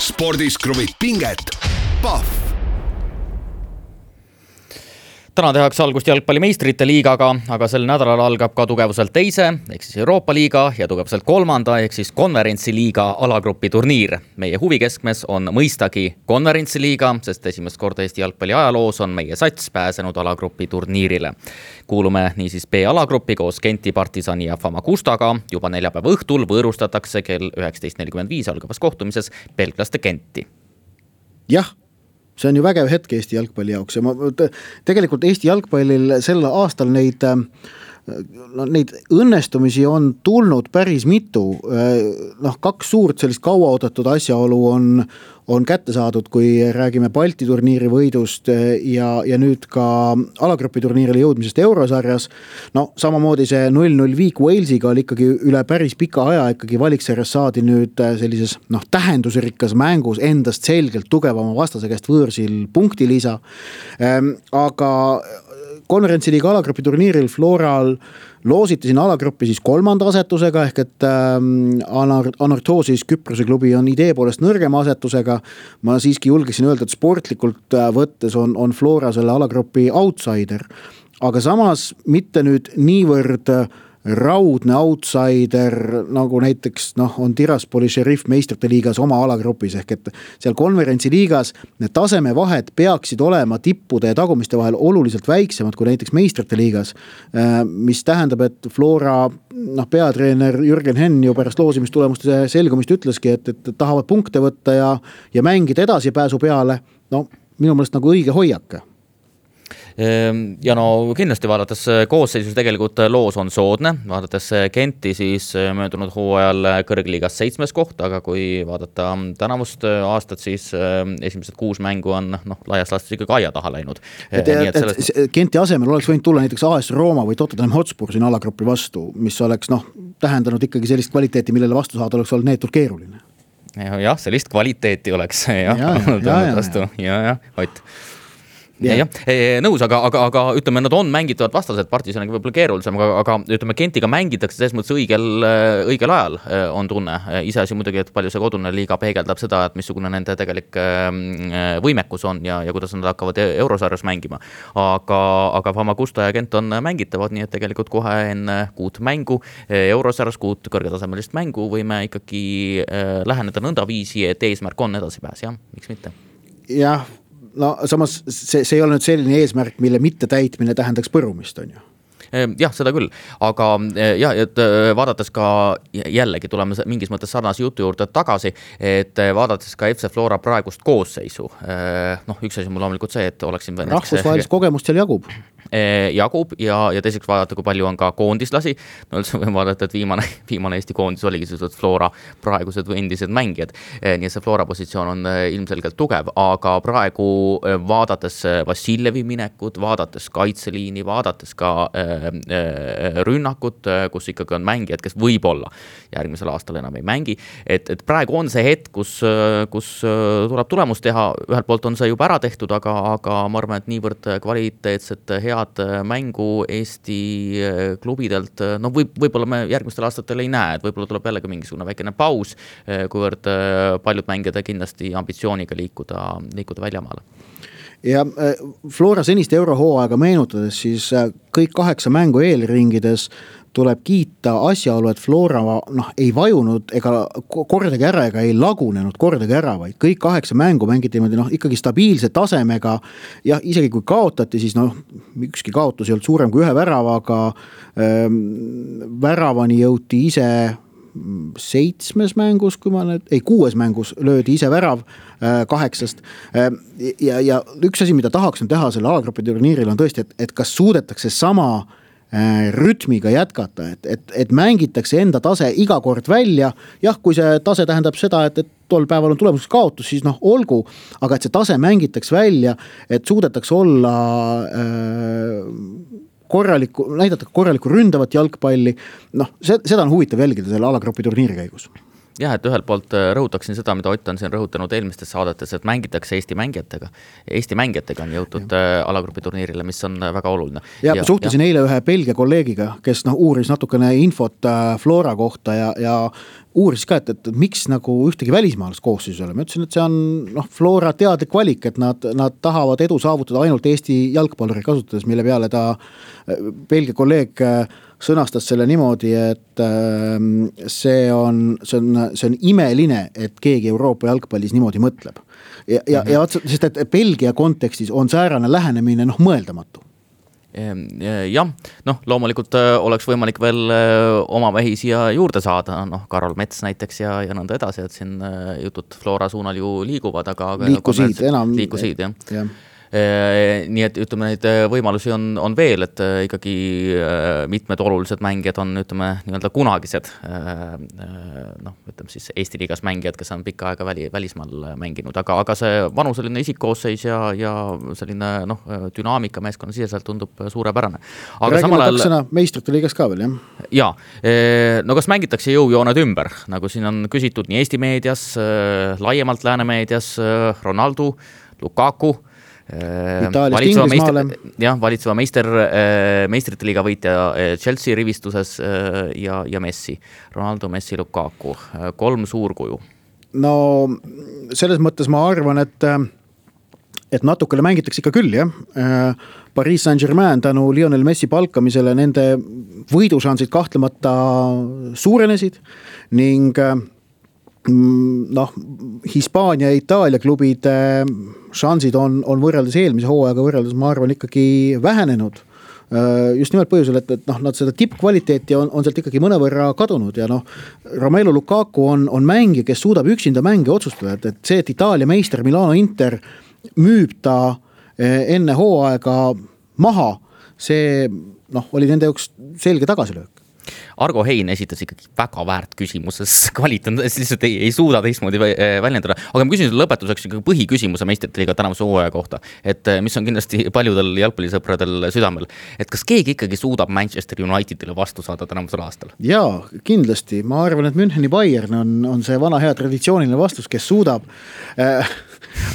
[SPEAKER 1] Spordis kruvib pinget, Pahv.
[SPEAKER 2] Täna tehakse algust jalgpalli meistrite liigaga, aga sel nädalal algab ka tugevuselt teise, ehk siis Euroopa liiga ja tugevuselt kolmanda, ehk siis konverentsi liiga alagrupi turniir. Meie huvikeskmes on mõistagi konverentsi liiga, sest esimest korda Eesti jalgpalli ajaloos on meie sats pääsenud alagrupi turniirile. Kuulume niisiis B-alagrupi koos Genti, Partisani ja Famagustaga. Juba neljapäeva õhtul võõrustatakse kell üheksateist nelikümmend viis algavas kohtumises belglaste Genti.
[SPEAKER 3] Jah. See on ju vägev hetk Eesti jalgpalli jaoks ja ma, tegelikult Eesti jalgpallil sel aastal neid, no, neid õnnestumisi on tulnud päris mitu. Noh, kaks suurt sellist kaua oodatud asjaolu on, on kätte saadud, kui räägime Balti turniiri võidust ja, ja nüüd ka alagrupi turniirile jõudmisest Eurosarjas. No samamoodi see null null viik Walesiga oli ikkagi üle päris pika aja ikkagi valiksarjas saadi nüüd sellises noh, tähendusrikkas mängus endast selgelt tugevama vastase käest võõrsil punktilisa. Aga konverentsiliiga alagrupi turniiril Floral loositi siin alagruppi siis kolmanda asetusega ehk et ähm, Anortoosis Küprose klubi on idee poolest nõrgema asetusega. Ma siiski julgeksin öelda, et sportlikult võttes on, on Flora selle alagrupi outsider, aga samas mitte nüüd niivõrd raudne outsider, nagu näiteks noh, on Tiraspoli Sheriff meistrite liigas oma alagrupis, ehk et seal konverentsi liigas need tasemevahed peaksid olema tippude ja tagumiste vahel oluliselt väiksemad kui näiteks meistrite liigas, mis tähendab, et Flora noh, peatreener Jürgen Henn ju pärast loosimistulemuste selgumist ütleski, et, et tahavad punkte võtta ja, ja mängida edasi pääsu peale. No minu meelest nagu õige hoiak.
[SPEAKER 2] Ja no kindlasti vaadates koosseisus tegelikult loos on soodne, vaadates Genti siis möödunud hooajal kõrgliigas seitsmes koht, aga kui vaadata tänavust aastat, siis esimesed kuus mängu on noh, laias laastus ikkagi aia taha läinud.
[SPEAKER 3] Et, et, sellest... et Genti asemel oleks võinud tulla näiteks A S Rooma või Tottenham Hotspur siin alagrupi vastu, mis oleks noh, tähendanud ikkagi sellist kvaliteeti, millele vastu saada oleks olnud neetult keeruline.
[SPEAKER 2] Jah, sellist kvaliteeti oleks jah,
[SPEAKER 3] ja, ja, ja,
[SPEAKER 2] vastu. Ja, ja, Ott. Ja, ja. Nõus, aga, aga, aga ütleme, nad on mängitavad vastased, Partisaniga võib-olla keerulisem, aga, aga ütleme, Gentiga mängitakse selles mõttes õigel, õigel ajal on tunne. Iseasi muidugi, et palju see kodune liiga peegeldab seda, et missugune nende tegelik võimekus on ja, ja kuidas nad hakkavad Eurosarjas mängima. Aga, aga Famagusta ja Gent on mängitavad, nii et tegelikult kohe enne kuut mängu, Eurosarjas kuut kõrgetasemelist mängu võime ikkagi läheneda nõnda viisi, et eesmärk on edasi pääs, jah, miks mitte?
[SPEAKER 3] Jah, no samas see, see ei ole nüüd selline eesmärk, mille mitte täitmine tähendaks põrumist, on ju?
[SPEAKER 2] Jah, seda küll, aga ja, et vaadates ka jällegi tuleme mingis mõttes sarnase jutu juurde tagasi, et vaadates ka F C Flora praegust koosseisu, noh, üks asi mul loomulikult see, et oleksin
[SPEAKER 3] rahvusvahelist kogemust seal jagub.
[SPEAKER 2] Jagub ja, ja teiseks vaadata, kui palju on ka koondislasi. No üldse võin vaadata, et viimane, viimane Eesti koondis oligi sellised Flora praegused või endised mängijad. Nii et see Flora positsioon on ilmselgelt tugev, aga praegu vaadates Vassiljevi minekut, vaadates kaitseliini, vaadates ka rünnakut, kus ikkagi on mängijad, kes võib-olla järgmisel aastal enam ei mängi, et, et praegu on see hetk, kus, kus tuleb tulemus teha, ühelt poolt on see juba ära tehtud, aga, aga ma arvan, et niivõrd kvaliteetset head mängu Eesti klubidelt, no võib, võib-olla me järgmistel aastatel ei näe, et võib-olla tuleb jällegi mingisugune väikene paus, kuivõrd paljud mängijad kindlasti ambitsiooniga liikuda, liikuda väljamaale.
[SPEAKER 3] Ja Flora senist eurohooaega meenutades, siis kõik kaheksa mängu eelringides tuleb kiita asjaolu, et Flora noh, ei vajunud ega kordagi ära ega ei lagunenud kordagi ära, vaid kõik kaheksa mängu mängiti no, ikkagi stabiilse tasemega ja isegi kui kaotati, siis noh, ükski kaotus ei olnud suurem kui ühe väravaga, ähm, väravani jõuti ise seitsmes mängus, kui ma nüüd, ei kuues mängus löödi ise värav äh, kaheksast äh, ja, ja üks asi, mida tahaks teha selle alagrupi turniiril on tõesti, et, et kas suudetakse sama äh, rütmiga jätkata, et, et, et mängitakse enda tase iga kord välja, jah, kui see tase tähendab seda, et, et tol päeval on tulemuseks kaotus, siis noh, olgu, aga et see tase mängitaks välja, et suudetakse olla äh, korraliku, näidata korraliku ründavat jalgpalli, noh, seda on huvitav jälgida selle alagrupi turniiri käigus.
[SPEAKER 2] jah, et ühelt poolt rõhutaksin seda, mida Ott on siin rõhutanud eelmistes saadetes, et mängitakse Eesti mängijatega. Eesti mängijatega on jõutud ja. alagrupi turniirile, mis on väga oluline.
[SPEAKER 3] Ja, ja suhtlesin ja. eile ühe Belgia kolleegiga, kes noh, uuris natukene infot Flora kohta ja, ja uuris ka, et, et miks nagu ühtegi välismaalast koosseisus ole. Ma ütlesin, et see on noh, Flora teadlik valik, et nad, nad tahavad edu saavutada ainult Eesti jalgpalluri kasutades, mille peale ta Belgia kolleeg sõnastas selle niimoodi, et see on, see on, see on imeline, et keegi Euroopa jalgpallis niimoodi mõtleb. Ja, ja, ja sest et Belgia kontekstis on säärane lähenemine noh, mõeldamatu.
[SPEAKER 2] Jah, noh, loomulikult oleks võimalik veel oma mehi siia juurde saada, noh, Karol Mets näiteks ja, ja nõnda edasi, et siin jutud Flora suunal ju liiguvad, aga
[SPEAKER 3] liikusid enam.
[SPEAKER 2] Liikusid, jah. jah. Nii et ütleme, neid võimalusi on, on veel, et ikkagi mitmed olulised mängijad on, ütleme, nii-öelda kunagised, noh, ütleme siis Eesti liigas mängijad, kes on pikka aega väli, välismaal mänginud, aga, aga see vanuseline isikkoosseis ja, ja selline, noh, dünaamika meeskonna siseselt tundub suurepärane. Aga
[SPEAKER 3] räägime kaks sõna meistrite liigas ka veel, jah?
[SPEAKER 2] Jaa, no kas mängitakse jõujooned ümber, nagu siin on küsitud nii Eesti meedias, laiemalt lääne meedias, Ronaldo, Lukaku,
[SPEAKER 3] Itaaliast Inglismaale.
[SPEAKER 2] Jah, valitseva meister, meistrite liiga võitja Chelsea rivistuses ja, ja Messi. Ronaldo, Messi, Lukaku. Kolm suurkuju.
[SPEAKER 3] No selles mõttes ma arvan, et, et natukene mängitakse ikka küll, jah. Paris Saint-Germain tänu Lionel Messi palkamisele nende võidušansid kahtlemata suurenesid ning noh, Hispaania ja Itaalia klubide šansid on, on võrreldes eelmise hooaega võrreldes, ma arvan, ikkagi vähenenud. Just nimelt põhjusel, et, et noh, nad seda tippkvaliteeti on, on sealt ikkagi mõnevõrra kadunud ja noh, Romelu Lukaku on, on mängi, kes suudab üksinda mänge otsustada, et, et see, et Itaalia meister Milano Inter müüb ta enne hooaega maha, see noh, oli nende jaoks selge tagasilöök.
[SPEAKER 2] Argo Hein esitas ikkagi väga väärt küsimuses kvaliteet, lihtsalt ei, ei suuda teistmoodi väljendada. Aga ma küsin lõpetuseks põhiküsimuse meistrite liiga tänavuse hooaja kohta, et mis on kindlasti paljudel jalgpallisõpradel südamel. Et kas keegi ikkagi suudab Manchester Unitedile vastu saada tänavusel aastal?
[SPEAKER 3] Jaa, kindlasti. Ma arvan, et Müncheni Bayern on, on see vana hea traditsiooniline vastus, kes suudab äh,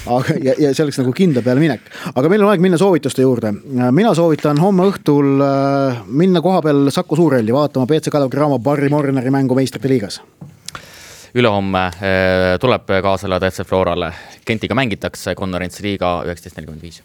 [SPEAKER 3] aga, ja, ja see oleks nagu kindla peale minek. Aga meil on aeg minna soovituste juurde. Mina soovitan homme õhtul äh, minna koha peal Saku Suurelli vaatama P C Kalev Cramo Barry Morneri mängu meistrite liigas.
[SPEAKER 2] Ülehomme tuleb kaasele T F C Florale. Kentiga mängitakse konverentsi liiga üheksateist nelikümmend viis.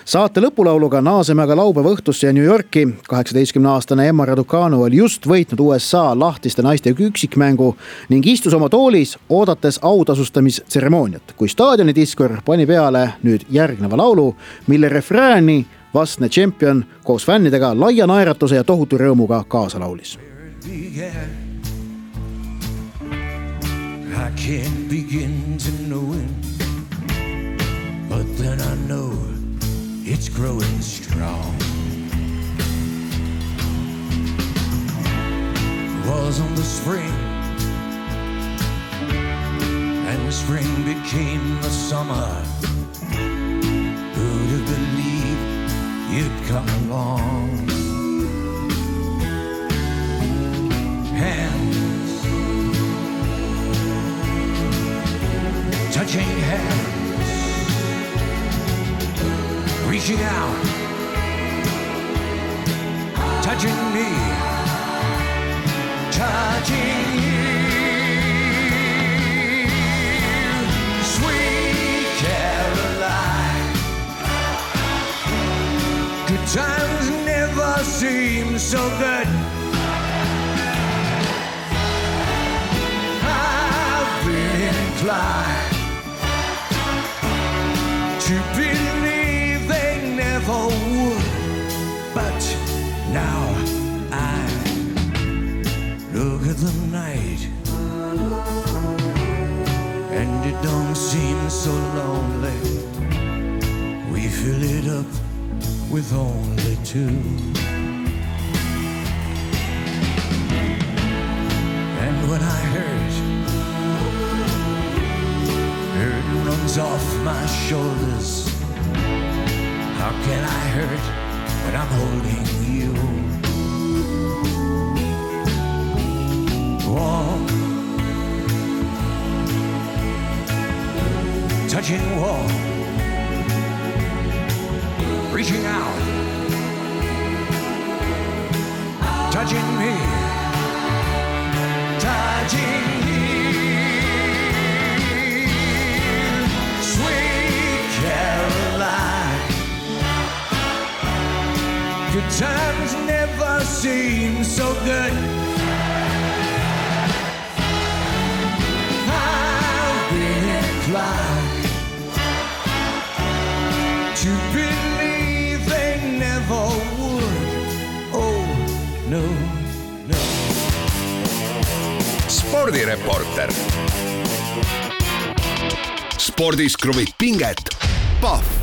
[SPEAKER 3] Saate lõpulauluga naaseme aga laupäeva õhtusse ja New Yorki. kaheksateistkümne aastane Emma Raducanu oli just võitnud U S A lahtiste naiste üksikmängu ning istus oma toolis, oodates autasustamisetseremooniat, kui staadioni diskor pani peale nüüd järgneva laulu, mille refrääni vastne tšempion koos fännidega laia naeratuse ja tohutu rõõmuga kaasa laulis. I can't begin to know it, but then I know it's growing strong. It wasn't the spring, and the spring became the summer. Who'd have believed you'd come along? Hands touching hands, reaching out, touching me, touching you, sweet Caroline. Good times never seem so good. I've been inclined to believe they never would, but now I look at the night and it don't seem so lonely. We fill it up with only two, and when I hurt, hurt runs off my shoulders. How can I hurt when I'm holding you? Walk
[SPEAKER 4] touching the wall, reaching out, touching me, touching me. Sweet Caroline, good times never seem so good. I've been inclined to believe they never would. Oh no, no.
[SPEAKER 1] spordireporter. spordis kruvib pinget, Pahv